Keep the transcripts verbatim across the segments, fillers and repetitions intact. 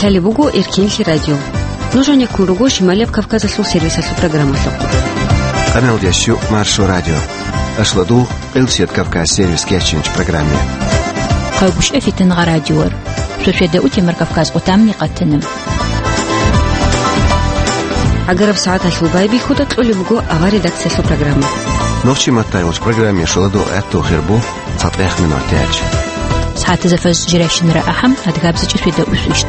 Лъалеб буго Эркенлъи радио. Нуж гьанеккун руго Шималияб Кавказалъул сервисалъул программалъухъ. Къамелдящу Маршо радио. Ашладу, Къилсият Кавказ сервис кечинч программе. Къавгушев Фитингъа радиор. Шошеда утемар Кавказ къутамни къатана. Агараб сагӀаталъул байбихьуда кьолеб буго авар редакциялъул программа. Нохчи маттай уч программе шоладу гӀатту хирбу. ЦатӀех минутач. СагӀатазда фаз жирайщинара ахӀам, адгабзичӀо светда усвищ.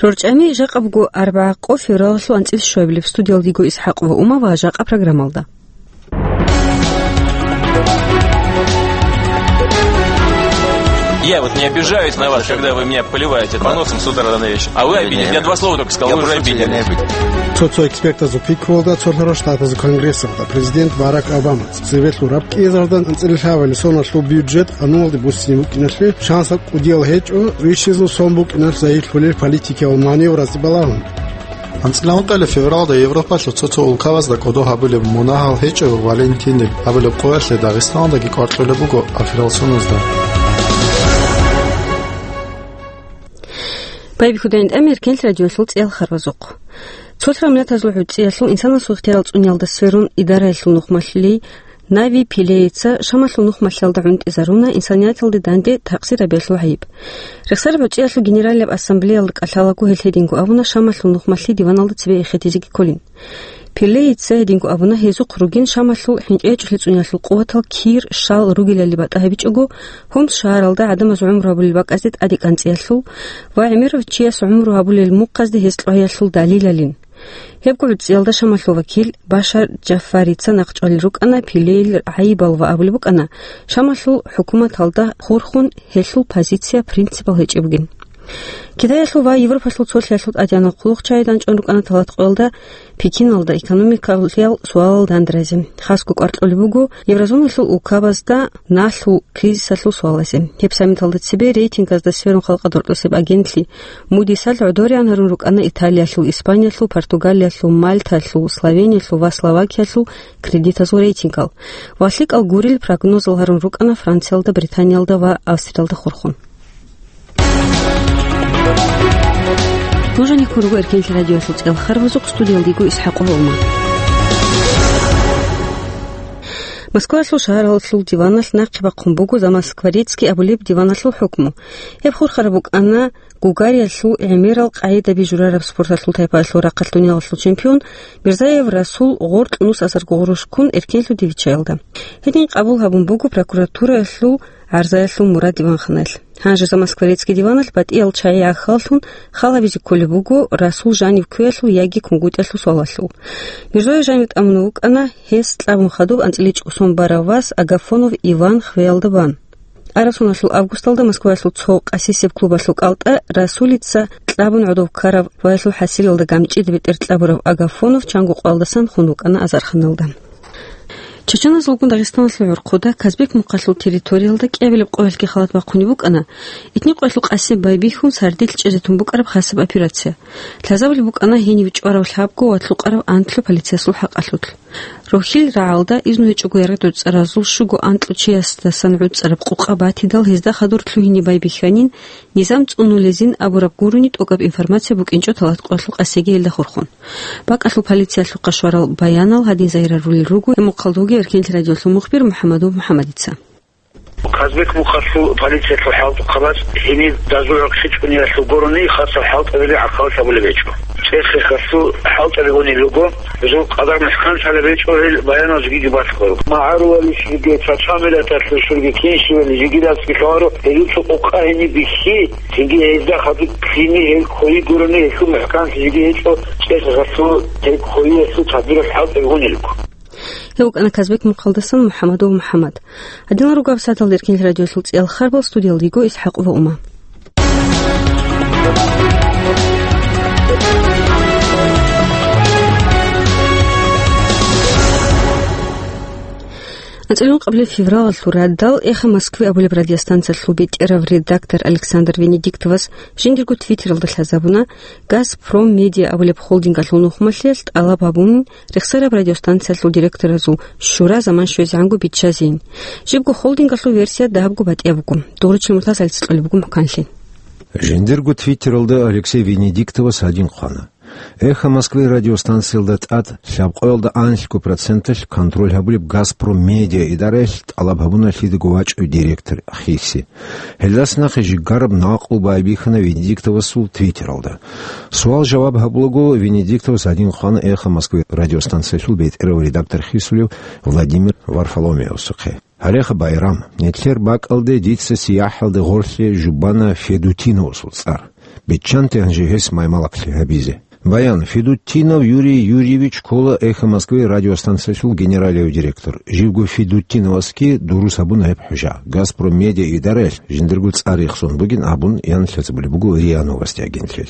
РорчӀами жакъа буго арбагӀа къо февралалъул анцӀил щуабилеб. Студиялда йиго ИсхӀакъ ва Ума ва жакъа программалда. Я вот не обижаюсь на вас, когда вы меня поливаете поносом с утра до вечера. А вы обидитесь. Я два слова только сказал, вы уже обиделись. Цо-цо экспертазул пикруялда, цо лъарал штатазул конгрессалда президент Барак Обама цебе лъураб кӀиазардан анцӀила лъабабилеб соналъул бюджет къануналде буссине букӀиналъе шансаб кӀудиял гьечӀо, вищизул сон букӀиналъ загьирлъулел политикиял маневразе балагьун. АнцӀила ункъоялда февралда Европалъул цо-цо улкабазда кӀодо гьабулеб мунагьал гьечӀо Валентин абулеб къоялъе Дагъистаналдаги кӀвар кьолеб буго аферал соназда. Байбихьуда гьанже Эркенлъи радиоялъул цӀеял харбазухъ. Цолъ гӀумру миллатазул гӀуцӀиялъул инсанасул ихтияр цӀуниялда сверун идараялъул нухмалъулей Нави Пилеица Шамалъул нухмалъиялда гӀунтӀизаруна инсанияталде данде такъсир гьабиялъул гӀайиб. Рехсараб гӀуцӀиялъул Генералияб ассамблеялда кӀалъалаго гьел гьединго абуна Шамалъул нухмалъи диваналда цебе эхетизеги кколин. Пилеица гьединго абуна, гьезухъ ругин Шамалъул хӀинчӀечӀолъи цӀуниялъул къуватал кир, щал, ругелали батӀа гьабичӀого, Хомс шагьаралда гӀадамаз гӀумру гьабулел бакӀазде тӀаде кӀанцӀиялъул ва гӀемерав чияс гӀумру гьабулел мухъазде гьес кьваялъул далилалин. Гьебго гӀуцӀиялда Шамалъул вакил Башар Джаффарица нахъчӀвалел рукӀана Пилейил гӀайибал ва абулеб букӀана, Шамалъул хӀукуматалда хурхун гьелъул позиция, принципал гьечӀеб бугин. Китаялъул ва Европалъул цолъиялъул тӀадегӀанал хъулухъчагӀи данчӀун рукӀана талатӀкъоялда Пекиналда экономикалъул суалал дандразе. Хасго кӀвар кьолеб буго еврозоналъул улкабазда налъул кризисалъул суалазе. Гьеб саммиталда цебе рейтингазда сверун халкъалда рокьосеб агентлъи Мудисалъ гӀодориан гьарун рукӀана Италиялъул, Испаниялъул, Португалиялъул, Мальталъул, Словениялъул ва Словакиялъул кредитазул рейтингал. Ва лъикӀал гурел прогнозал гьарун рукӀана Франциялда, Британиялда ва Австриялда хурхун. Нуж гьанеккун руго Эркенлъи радиоялъул цӀеял харбазухъ, студиялда йиго ИсхӀакъ ва Ума. Москваялъул шагьаралъул диваналъ нахъе бахъун буго Замоскворецкий абулеб диваналъул хӀукму. Гьеб хурхараб букӀана Гугариялъул гӀемерал къагӀидаби журараб спорталъул тайпаялъул рахъалъ дуниялалъул чемпион Мирзаев Расул гъоркь нус азарго гъурущ ккун эркенлъуде виччаялда. Гьедин къабул гьабун буго прокуратураялъул гӀарзаялъул мурад диванханаялъ. Гьанже Замоскворецкий диваналъ батӀиял чагӀи гӀахьаллъун хал гьабизе кколеб буго Расул жанив кквеялъул яги кунгутӀиялъул суалалъул. Мирзоев жанив тӀамун вукӀана гьес кьабун хадуб анцӀила чӀужу сон барав вас Агафонов Иван хвеялда бан. Араб соналъул августалда Москваялъул цо къасисеб клубалъул кӀалтӀа Расулица кьабун гӀодов ккараб хвеялъул хӀасилалда гамчӀида бетӀер кьабурав Агафонов чанго къоялдасан хун вукӀана азарханалда. Чеченазулгун Дагъистаналъул гӀурхъуда Казбек мухъалъул территориялда кӀиабилеб къоялъги халат бахъунеб букӀана, итни къоялъул къасиб байбихьун сардилъ чӀезе тун букӀараб хасаб операция. Лъазабулеб букӀана гьенив чӀварав лъабго ва лъукъарав анлъго полициясул хӀакъалъулъ. Рохьил рагӀалда изну гьечӀого яргъи-доцӀаразул щуго анкьго чиясдасан гӀуцӀараб къукъа батидал, гьезда хадур лъугьине байбихьанин, низам цӀунулезин абураб гурони тӀокӀаб информация букӀинчӀо талат къоялъул къасиги гьелда хурхун. БакӀалъул полициялъухъа щварал баянал гьадин загьирарулел руго гьеб мухъалда вугев Эркенлъи радиоялъул мухбир МухӀаммадов МухӀаммадица. Казбек мухъалъул полициялъул хӀалтӀухъабаз гьениб дазул гӀорхъи чӀуниялъул гурони хасаб хӀалтӀабили гӀахьаллъи гьабулеб гьечӀо. ЦӀехехалъул хӀалтӀаби гьунел руго, гьезул къадар мухӀканлъи гьабичӀо гьел баянал жигиги балъгъаро. МагӀарулалищ жиги, цацамилаталъуш жиги, кинщивали жиги рацӀцӀи лъугьаро, гьезул цо къукъа гьениб бихьи, цинги гьезда хадуб лъими гьел кколи гурони гьелъул мухӀканлъи жиги гьечӀо, цӀехехалъул гьел кколиялъул тадбиралъ хӀалтӀаби гьунел руго. Гьев вукӀана Казбек мухъалдасан МухӀаммадов МухӀаммад. Гьадинал руго гьаб сагӀаталда Эркенлъи радиоялъул цӀеял харбал, студиялда йиго ИсхӀакъ ва Ума. АнцӀила ункъабилеб февралалъул радал «Эхо Москвы» абулеб радиостанциялъул бетӀерав редактор Александр Венедиктовас жиндирго твиттералда лъазабуна, «Газпром Медиа» абулеб холдингалъул нухмалъиялъ тӀалаб гьабун, рехсараб радиостанциялъул директоразул шура заман щвезегӀанго биччазейин. Жибго холдингалъул версия дагьабго батӀияб буго. Дугъричил муртаз гьалица кьолеб буго мухӀканлъи. Жиндирго твиттералда Алексей Венедиктовас гьадин хъвана: «Эхо Москвы» радиостанциялда тӀад лъабкъоялда анлъго проценталъ контроль гьабулеб «Газпром Медиа» идараялъ тӀалаб гьабуна лъидаго вачӀев директор хиси». Гьелдаса нахъе жигараб накълу байбихьана Венедиктовасул твиттералда. Суал-жаваб гьабулаго, Венедиктовас гьадин хъвана «Эхо Москвы» радиостанциялъул бетӀерав редактор хисулев Владимир Варфоломеевасухъе. Гьареха, Байрам, нилъер бакӀалде дица сияхӀалде гъорлъе жубана Федутиновасул цӀар. Биччанте гьанже гьес маймалаблъи гьабизе. Баян: Федутинов Юрий Юрьевич ккола «Эхо Москвы» радиостанциялъул генералияв директор. Живго Федутиновасги дурус гьабуна гьеб хӀужа. «Газпром Медиа» идараялъ жиндирго цӀар рехсон бугин абун, ян лъазабулеб буго РИА Новости агентли.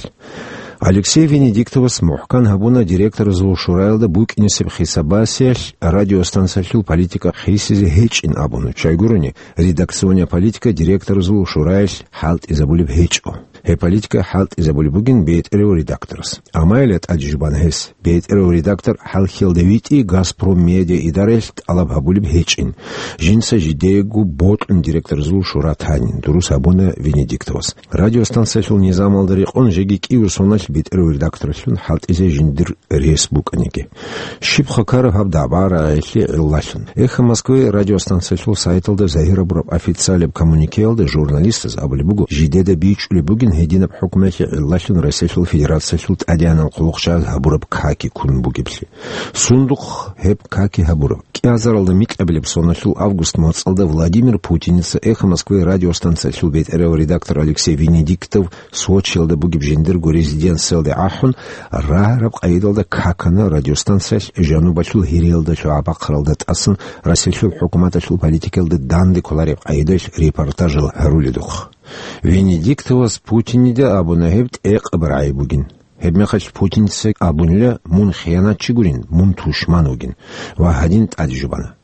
Алексей Венедиктовас мухӀкан гьабуна директоразул шураялда букӀинесеб хисабасиялъ радиостанциялъул политика хисизе гьечӀин абун, щайгурони, редакционная политика директоразул шураялъ хӀалтӀизабулеб гьечӀо. Гьеб политика хӀалтӀизабулеб бугин бетӀерав редакторас. Амма гьеле тӀаде жубана гьес: бетӀерав редактор хӀалхьиялда витӀи «Газпром Медиа» идараялъ тӀалаб гьабулеб гьечӀин. Жинца жидеего бокьун директоразул шура танин, дурус гьабуна Венедиктовас. Радиостанциялъул низамалда рекъон жеги кӀиго соналъ бетӀерав редакторлъун хӀалтӀизе жиндир рес букӀаниги. Щиб хъвакараб гьаб дагӀба-рагӀилъи гӀиллалъун? «Эхо Москвы» радиостанциялъул сайталда загьир гьабураб официалияб коммуникеялда журналистаз абулеб буго, жидеда бичӀчӀулеб бугин гьединаб хӀукмуялъе гӀиллалъун Россиялъул Федерациялъул тӀадегӀанал хъулухъчагӀаз гьабураб каки ккун бугеблъи. Сундухъ гьеб каки гьабураб? КӀиазаралда микьабилеб соналъул август моцӀалда Владимир Путиница «Эхо Москвы» радиостанциялъул бетӀерав редактор Алексей Венедиктов Сочиялда бугеб жиндирго резиденциялде ахӀун, рагьараб къайдалда какана радиостанциялъ жанубалъул гьириялда лъугӀа-бахъаралда тӀасан Россиялъул хӀукуматалъул политикаялда данде кколареб къайдалъ репортажал гьаруледухъ. Венедиктовас Путинида абуна гьеб тӀекъаб рагӀи бугин. Гьебмехалъ Путиница абунила: «Мун хиянатчи гурин, мун тушман вугин». Ва гьадин тӀаде жубана.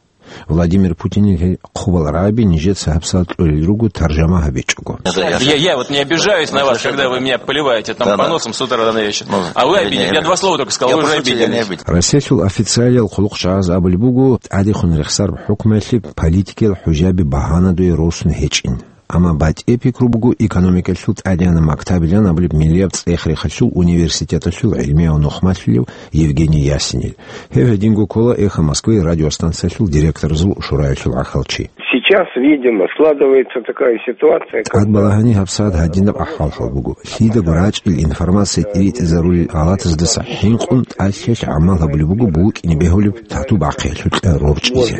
Владимир Путинил гьел хъубал рагӀаби нижеца гьабсагӀат кьолел руго, таржама гьабичӀого. Я, я вот не обижаюсь на вас, когда вы меня поливаете там по носам с утра до вечера. А вы обидели. Я два слова только сказал, вы уже обиделись. Россиялъул официалиял хъулухъчагӀаз абулеб буго, тӀадехун рехсараб хӀукмуялъе политикиял хӀужаби багьанадуе росун гьечӀин. Амма батӀи пикру буго экономикалъул тӀадегӀанаб мактабилан абулеб миллияб цӀех-рехалъул университеталъул гӀилмияв нухмалъулев Евгений Ясинил. Гьев гьединго ккола «Эхо Москвы» радиостанциялъул директоразул шураялъул гӀахьалчи. Сейчас, видимо, складывается такая ситуация, когда... ТӀад балагьани гьабсагӀат гьадинаб ахӀвал-хӀал буго. Лъидаго рачӀил информация тӀиритӀизарулел гӀалатаздаса хӀинкъун тӀалъиялъ гӀамал гьабулеб буго букӀине бегьулеб тату бахъиялъул кьа рорчӀизе.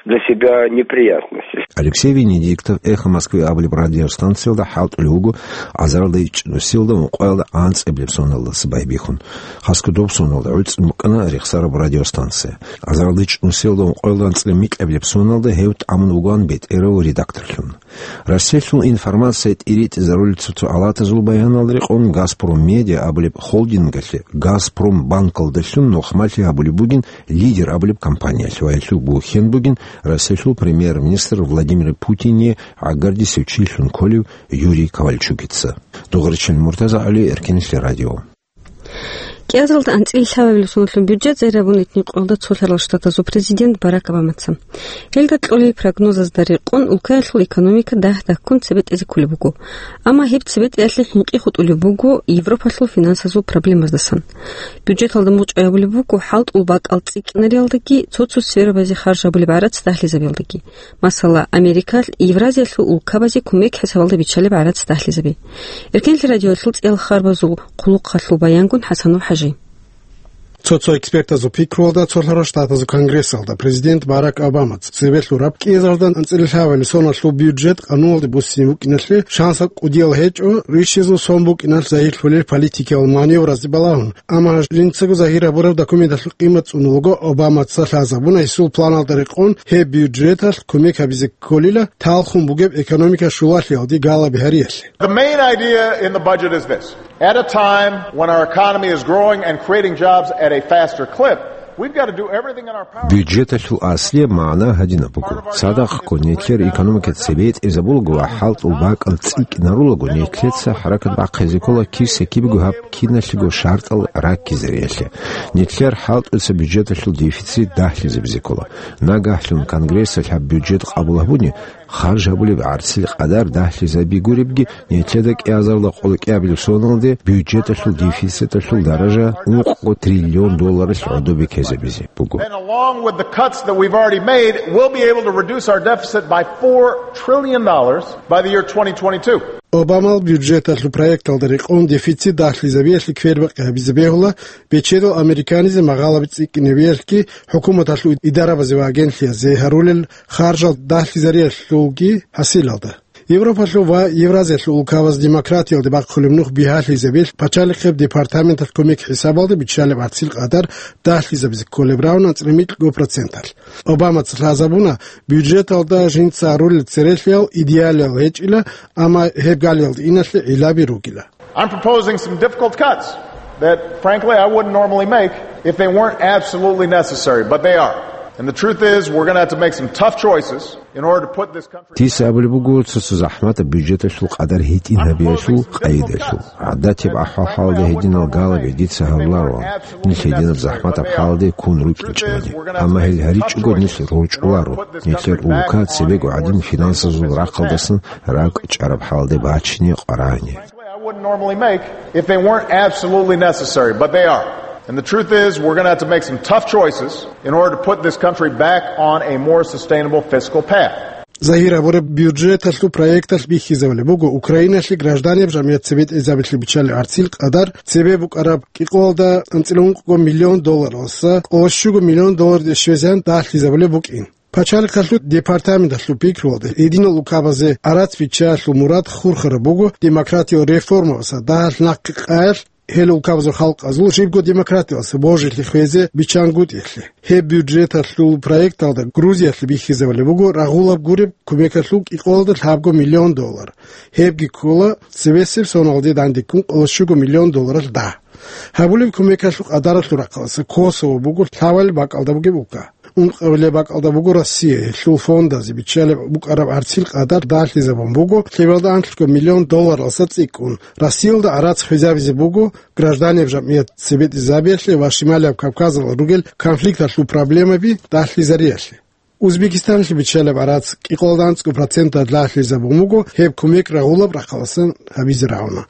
Для себя неприятности. Алексей Венедиктов «Эхо Москвы» абулеб радиостанциялда хӀалтӀулев вуго азаралда ичӀнусиялда ункъоялда анцӀабилеб соналдаса байбихьун. Хасго доб соналда гӀуцӀун букӀана рехсараб радиостанция. Азаралда ичӀнусиялда ункъоялда анцӀила микьабилеб соналда гьев тӀамун вугоан бетӀерав редакторлъун. Россиялъул информация тӀиритӀизарулел цо-цо гӀалатазул баяналда рекъон, «Газпром Медиа» абулеб холдингалъе «Газпромбанкалдалъун» нухмалъи гьабулеб бугин «Лидер» абулеб компаниялъ ва гьелъул бухьен бугин Россиялъул премьер-министр Владимир Путине гӀагардисев чилъун кколев Юрий Ковальчугица. Дугъричил Муртазагьали, Эркенлъи радио. КӀиазаралда анцӀила лъабабилеб соналъул бюджет загьир гьабуна Этнокъоялда Цолъарал Штатазул президент Барак Обамаца. Гьелда кьолел прогнозазда рекъон, улкаялъул экономика дагь-дагьккун цебетӀезе кколеб буго. Амма гьеб цебетӀеялъе хӀинкъи хутӀулеб буго Европалъул финансазул проблемаздасан. Бюджеталда мугъчӀвай гьабулеб буго хӀалтӀул бакӀал цӀикӀкӀинариялдаги, цо-цо сферабазе харж гьабулеб гӀарац дагьлъизабиялдаги. Масала, Америкалъ Евразиялъул улкабазе кумек хӀисабалда биччалеб гӀарац дагьлъизаби. Эркенлъи радиоялъул цӀиял харбазул хъулухъалъул баянгун ХӀасанов ХӀажи. Цо-цо экспертазул пикруялда, Цолъарал Штатазул Конгрессалда президент Барак Обамаца цебе лъураб кӀиазаралда анцӀила лъабабилеб соналъул бюджет къануналде буссине букӀиналъе шансаб кӀудиял гьечӀо, рищизул сон букӀиналъ загьирлъулел политикиял маневразде балагьун. Амма жинцаго загьир гьабураб документалъул къимат цӀунулго Обамаца лъазабуна гьесул планалда рекъон гьеб бюджеталъ кумек гьабизе кколила талхун бугеб экономика щулалъиялде галаби гьариялъе. The main idea in the budget is this. At a time when our economy is growing and creating jobs at a faster clip, We've got to do everything in our power. Бюджеталъул аслияб магӀна гьадинаб буго. Цадахъго, нилъер экономика цебетӀезабулаго ва хӀалтӀул бакӀал цӀикӀкӀинарулаго, нилъеца хӀаракат бахъизе ккола киса-кибего гьаб киналъего шартӀал раккизариялъе. Нилъер хӀалтӀуца бюджеталъул дефицит дагьлъизабизе ккола. Нагагьлъун Конгрессалъ гьаб бюджет къабул гьабуни, харж гьабулеб гӀарцил къадар дагьлъизабигуребги, нилъеда кӀиазарда къоло кӀиабилеб соналде бюджеталъул дефициталъул даража ункъго триллион долларалъ гӀодобе ккезабизе буго. And along with the cuts that we've already made, we'll be able to reduce our deficit by four trillion dollars by the year twenty twenty-two. Обамал бюджеталъул проекталда рекъон дефицит дагьлъизабиялъе квербакъи гьабизе бегьула, бечедал американизе магъалаби цӀикӀкӀинабиялъги, хӀукуматалъул идарабазе ва агентлъиязде гьарулел харжал дагьлъизариялъулги хӀасилалда. Европалъул ва Евразиялъул улкабаз демократиялде бахъулеб нух бигьалъизабиялъ пачалихъеб департаменталъ кумек хӀисабалда биччалеб гӀарцил къадар дагьлъизабизе кколеб рагӀуна анцӀила микьго проценталъ. Обамаца лъазабуна, бюджеталда жинца гьарулел церелъиял идеалиял гьечӀила, амма гьеб галиялда иналъе гӀиллаби ругила. I'm proposing some difficult cuts that, frankly, I wouldn't normally make if they weren't absolutely necessary, but they are. And the truth is, we're gonna have to make some tough choices in order to put this country. Дица абулеб буго цо-цо захӀматаб бюджеталъул къадар гьитӀин гьабиялъул къайдалъул. ГӀадатияб ахӀвал-хӀалда гьединал галаби дица гьабулароан, нилъ гьединаб захӀматаб хӀалде ккун рукӀинчӀони. Амма гьел гьаричӀого нилъ рорчӀуларо, нилъер улка цебего гӀадин финансазул рахъалдасан ракӀчӀараб хӀалде бачине къварани. I wouldn't normally make if they weren't absolutely necessary, but they are. And the truth is, we're gonna have to make some tough choices in order to put this country back on a more sustainable fiscal path. Загьир гьабураб бюджеталъул проекталъ бихьизабулеб буго Украиналъе гражданиял жамгӀият цебетӀезабилъи биччалеб гӀарцил къадар цебе букӀараб кӀикъоялда анцӀила ункъго миллион долларалдаса къоло щуго миллион долларде щвезегӀан дагьлъизабулеб букӀин. Пачалихъалъул департаменталъул пикруялда, гьединал улкабазе гӀарац биччаялъул мурад хурхараб буго демократиял реформаялъа дагьалъ нахъе къаялъ, гьел улкабазул халкъазул жибго демократиялъа божилъи хвезе биччангутӀиялъе. Гьеб бюджеталъул проекталда Грузиялъе бихьизабулеб буго рагъулаб гуреб кумекалъул кӀикъоялда лъабго миллион доллар. Гьебги ккола цебесеб соналде дандеккун къоло щуго миллион долларалъ дагь. Гьабулеб кумекалъул къадаралъул рахъалъа Косово буго лъабабилеб бакӀалда бугеб улка. Ункъабилеб бакӀалда буго Россия, гьелъул фондазе биччалеб букӀараб гӀарцил къадар дагьлъизабун буго лъебалда анлъго миллион долларалдаса цӀикӀкӀун. Россиялда гӀарац хвезабизе буго гражданиял жамгӀият цебетӀезабиялъе ва Шималияб Кавказалда ругел конфликталъул проблемаби дагьлъизариялъе. Узбекистаналъе биччалеб гӀарац кӀикъоялда анцӀго проценталъ дагьлъизабун буго, гьеб кумек рагъулаб рахъалдасан гьабизе рагӀуна.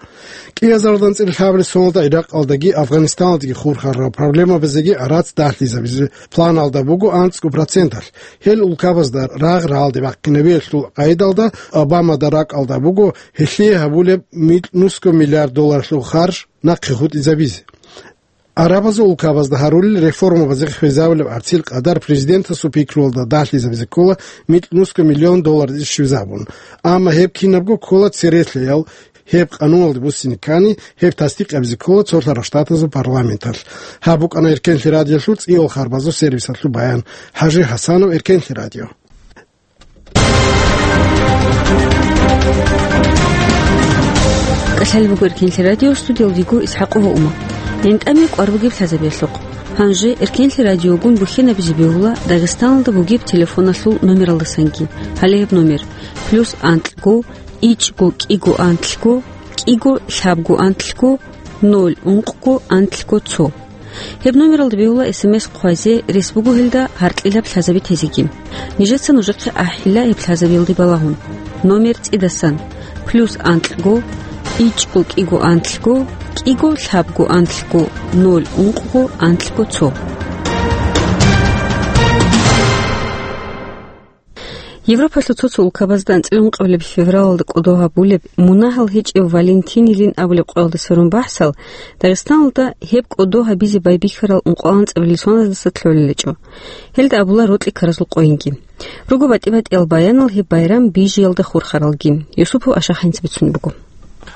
КӀиазаралда анцӀила лъабабилеб соналда ГӀиракьалдаги Афганистаналдаги хурхарал проблемабазеги гӀарац дагьлъизабизе планалда буго анцӀго проценталъ. Гьел улкабазда рагъ рагӀалде бахъинабиялъул къайдалда Обамада ракӀалда буго гьелъие гьабулеб микь нусго миллиард долларалъул харж нахъе хутӀизабизе. Арабазул улкабазда гьарулел реформабазе хвезабулеб гӀарцил къадар президентасул пикруялда дагьлъизабизе ккола микь нусго миллион долларде щвезабун. Амма гьеб кинабго ккола церелъаял, гьеб къануналде буссине ккани, гьеб тасдикъабизе ккола цолъарал штатазул парламенталъ. Гьаб букӀана Эркенлъи радиолъул цӀийал харбазул сервисалъул баян. ХӀажи ХӀасанов, Эркенлъи радио. КӀалъалеб буго Эркенлъи радио, студиялда вуго ИсхӀакъова Ума. ГӀинтӀаме кӀвар бугеб лъазабиялъухъ. Гьанже Эркенлъи радиогун бухьинабизе бегьула Дагъистаналда бугеб телефоналъул номералдасанги. Гьале гьеб номер: плюс анкьго, ичӀго кӀиго анлъго, кӀиго лъабго анлъго, ноль ункъго анлъго цо. Гьеб номералда бегьула СМС хъвазе, рес буго гьелда гьаркьилаб лъазаби тезеги. Нижеца нужехъе ахӀила гьеб лъазабиялде балагьун. Номер цӀидасан: плюс анкьго, ичӀго кӀиго анлъго, кӀиго лъабго анлъго, ноль ункъго анлъго цо. Европалъул цо-цо улкабазда анцӀила ункъабилеб февралалда кӀодо гьабулеб мунагьал гьечӀеб Валентин-йилин абулеб къоялда сверун бахӀсал, Дагъистаналда гьеб кӀодо гьабизе байбихьарал ункъоялда анцӀабилеб соназдаса лъолелечӀо. Гьелда абула рокьи ккаразул къойинги. Руго батӀи-батӀиял баянал гьеб байрам бижиялда хурхаралги. Юсупов Ашахъинца бицунеб буго.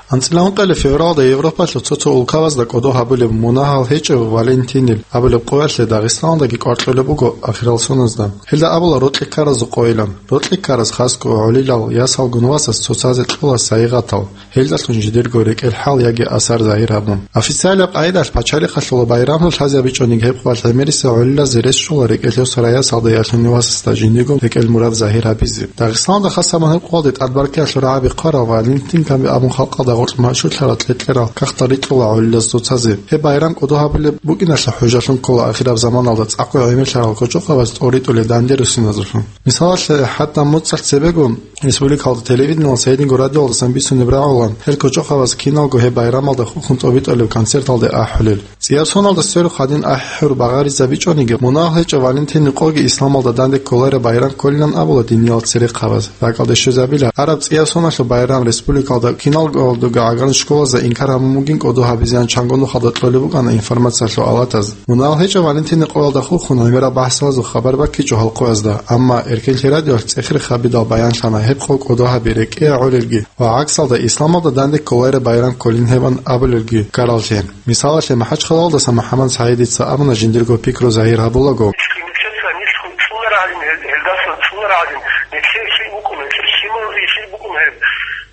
АнцӀила ункъоялда февралда Европалъул цо-цо улкабазда кӀодо гьабулеб мунагьал гьечӀев Валентинил абулеб къоялъе Дагъистаналдаги кӀвар кьолеб буго ахирал соназда. Гьелда абула рокьи ккаразул къойилан. Рокьи ккараз хасго гӀолилал ясалгун васас цоцазе кьола сайигъатал, гьелдалъун жидерго рекӀел хӀал яги асар загьир гьабун. Официалаб къайдалъ пачалихъалъула байрамлъун лъазе бичӀониги гьеб къоялъ гӀемерисел гӀолилазе рес щола рекӀелъе сорай ясалда ялъунев васасда жиндиего рекӀел мурад загьир гьабизе. Дагъистаналда хас гьабун гьеб къоялде тӀадбаркиялъул рагӀаби хъварав Валентин Камби абун халкъалда гъоркь машгьурлъарал кьекьерал кагътал рикьула гӀолилаз цоцазе. Гьеб байрам кӀодо гьабулеб букӀиналъе хӀужалъун ккола ахираб заманалда цӀакъго гӀемерлъарал кочӀохъабаз тӀоритӀулел дандерусиназулъун. Мисалалъе, хӀатта моцӀалъ цебего республикалда телевидениялдасан, гьединго радиоялдасан бицунеб рагӀулаан гьел кочӀохъабаз киналго гьеб байрамалда хурхун тӀобитӀулеб концерталде ахӀулел. ЦӀияб соналда сверухъ гьадин ахӀи-хӀур багъаризабичӀониги, мунагьал гьечӀев Валентинил къоги исламалда данде кколареб байрам кколилан абула диниял церехъабаз. РакӀалде щвезабила, араб цӀияб соналъул байрам республикалда киналго гӀагарлъи школазда инкар гьабун бугин кӀодо гьабизеян чанго нухалда кьолеб букӀана информациялъул алатаз. Мунагьал гьечӀев Валентинил къоялда хурхун гӀемерал бахӀсалазул хабар баккичӀо гьал къоязда, амма Эркенлъи радиоялъ цӀехирхабидал баянлъана гьеб къо кӀодо гьаби рекӀее гӀолелги ва гӀаксалда исламалда данде кколареб байрам кколин гьебан абулелги ккараллъи. Мисалалъе, МахӀачхъалаялдаса МухӀаммад СагӀидица абуна жиндирго пикру загьир гьабулаго. Нилъеца нилъ цӀунарагӀадин, гьел-, гьелдаса цӀунарагӀадин, нилъер лъил букӀун, нилъер лъималазе лъил букӀун гьеб.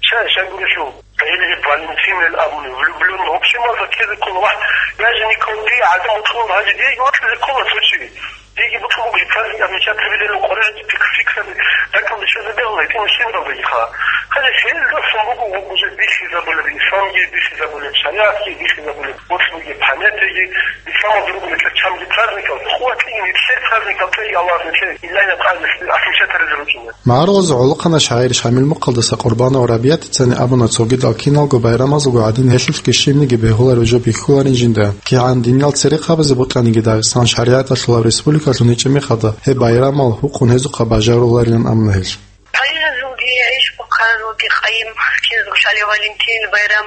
Щай, щай гурелъул? Гьел гьеб Валентинел абуни, влюблённый, вообще маза ккезе ккола, вагь, я же никогда гӀадамал кьун гьари, диеги вокьизе ккола цо чи. Диеги бокьун буго праздник отмечать гьабилел, къоролъи фикс-, фиксаби, ракӀалде щвезабегӀула, гьитӀинаб лъимералдагиха. Гьанже гьелдасан буго уже бихьизабулеб, исламги бихьизабулеб, шаригӀатги бихьизабулеб, боцӀлъиги, памятиги, исламалда руго нилъер чанги праздникал, къуватги нилъер праздникал, цӀеги Аллагьас нилъее, илагьияб къайдаялъ отмечать гьаризе рукӀине. МагӀарулазул гӀолохъанав шагӀир Шамил Мухъалдаса Къурбанов Рабиятицани абуна цогидал киналго байрамазулго гӀадин гьелъулъги щибниги бегьулареб жо бихьуларин жинда. КигӀан диниял церехъабазе бокьаниги Дагъистан шаригӀаталъулаб республикалъун гьечӀеб мехалда, гьеб байрамал гьукъун гьезухъа бажаруларилан абуна гьелъ. Къайимазулги, иш бухъаралги къайим, киназго щвалев Валентин байрам,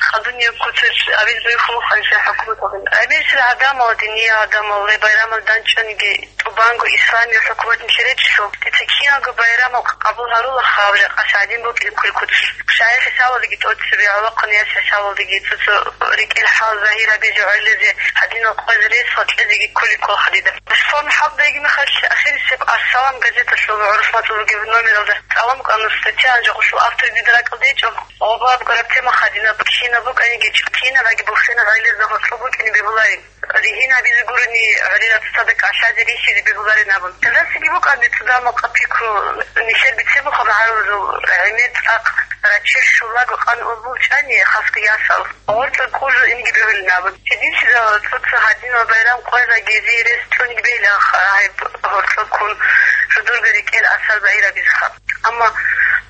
хадуб куцалъ абизе бихьуларо хӀукуматалда. Гьебмехалъ гӀадамал, диниял гӀадамал гьеб байрамалда данчӀониги, тӀубанго исламияб хӀукумат нилъее речӀчӀулъ, дица киналго байрамал къабул гьарула, гьаб жакъа гӀадин букӀин кколеб куцалъ. ШагӀир хӀисабалдаги тӀоцебе, гӀолохъанав яс хӀисабалдаги цо-цо рекӀел хӀал загьир гьабизе гӀолилазе гьадинал къояз рес ва кьезеги кколеб ккола гьадинаб. Ислам хӀалдаги мехалъ ахирисеб «Ас-Салам» газеталъул гӀурхъ мацӀалъулаб номералда цӀалун букӀана статья, гьанже гъолъул автор дида ракӀалде гьечӀо. Гъоб гьаб гураб тема гьадинаб, кинаб букӀаниги, кинаб яги бухӀинаб гӀолилазда гъоркьоб букӀине бегьуларин. Ригьин гьабизе гурони гӀолилаца цадахъ кӀалъазе рихьизе бегьуларин абун. Гьелдасаги букӀана дица дагьаб-макъаб пикру, нилъер бицебухъаб гӀарабазул гӀемер цӀакъ раччи щулаго къан ун бучӀани, хасго ясал, гъоркьа ккун жо инги бегьулин абун. Гьединлъидал цо-цо гьадинал байрам къоялъ гьезие рес цӀуниги бегьилаха гьеб гьоркьоб ккун жо дурго рекӀел асар загьир гьабизеха. Амма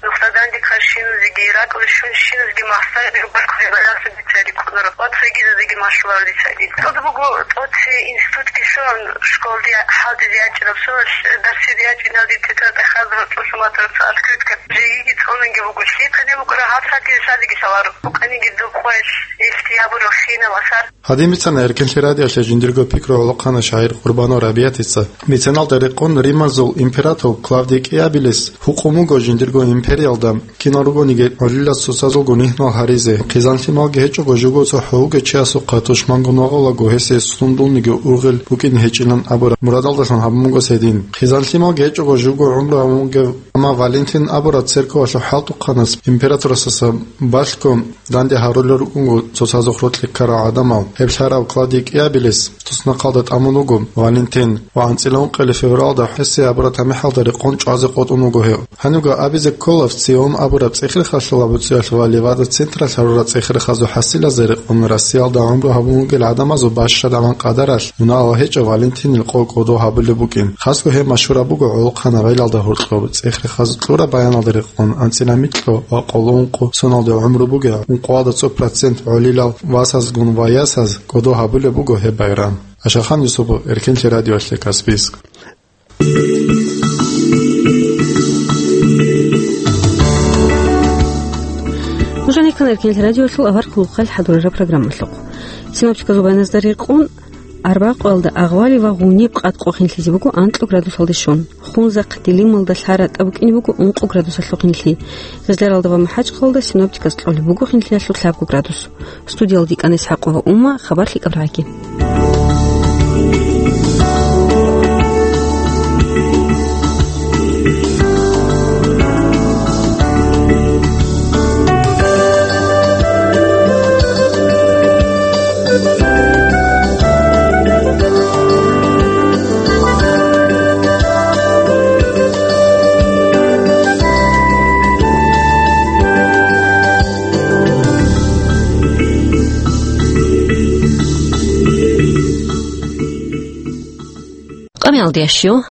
нухда данде ккарщиназеги, ракӀалде щунщиназеги махсар бигьбаркузе балагьун дица рикӀкӀунаро ва цогидазеги малъуларо дица гьедин. ЦӀуд буго тӀоцебе институтги лъугьун, школалде хӀалтӀизе ячӀараб соналъ дарсизе ячӀиналде тетрадь хадур цӀусаматараб цо открытка жеги цӀунунги буго. Лъихъа гьеб букӀараб гьаб сагӀатги лъазеги лъаларо. Букъаниги доб къоялъ гьелъие гьабураб хинаб асар. Гьадин бицана Эркенлъи радиоялъе жиндирго пикру гӀолохъанав шагӀир Къурбанов Рабиятица. Меценалда рекъон Римазул император Клавдий КӀиабилис гьукъун буго жиндирго империялда кинал ругониги гӀолилаз цоцазулго нигьнал гьаризе, хъизан-лъималги гьечӀого живго цохӀо вугев чиясухъа тушмангун вагъулаго гьесие сундулниги ургъел букӀине гьечӀилан абураб мурадалдалъун гьабун буго гьедин. Хъизан-лъималги гьечӀого живго гӀумру гьабун вугев, амма Валентин абурав церковалъул хӀалтӀухъанас императорасдаса балъго данде гьарулел рукӀунго цоцазухъ рокьи ккарал гӀадамал. Гьеб лъарав Клавдий КӀиабилис туснахъалда тӀамун вуго Валентин ва анцӀила ункъоялда февралда гьесие абураб тамихӀалда рекъон чӀвазе къотӀун вуго гьев. Гьанивго абизе ккола ВЦИОМ абураб цӀехирхъалъул абуцӀиялъ ва Левада централъ гьарурал цӀехирхъазул хӀасилазе рекъон Россиялда гӀумру гьабун вугел гӀадамазул бащадаван къадаралъ мунагьал гьечӀев Валентинил къо кӀодо гьабулеб букӀин. Хасго гьеб машгьураб буго гӀолохъанав гӀелалда гьоркьоб цӀехирхъаз кьураб баяналда рекъон анцӀила микьго ва къоло ункъо соналда гӀумру бугел ункъоялда цо процент гӀолилал васазгун ва ясаз кӀодо гьабулеб буго гьеб байрам. Ашахан Юсупов, Эркенлъи радиоялъе, Каспийск. Нуж гьанир ккана Эркенлъи радиоялъул авар кколохъал хӀадурараб программалъухъ. Синоптиказул баяназда рекъон, Арбакъуялда агъвали ва гъуниб къад къо хинлъизе буго анкьу градусалде щун. Хунзахъ Делималда лъай ратӀа букӀине буго ункъу градусалъухъ хинлъи. Гъезларалда ва МахӀачхъалда синоптиказ кьолеб буго хинлъиялъул лъабго градус. Студиялда йикӀана ИсхӀакъова Умма, хабар лъикӀаб рагӀаги. Къамиялдиящу,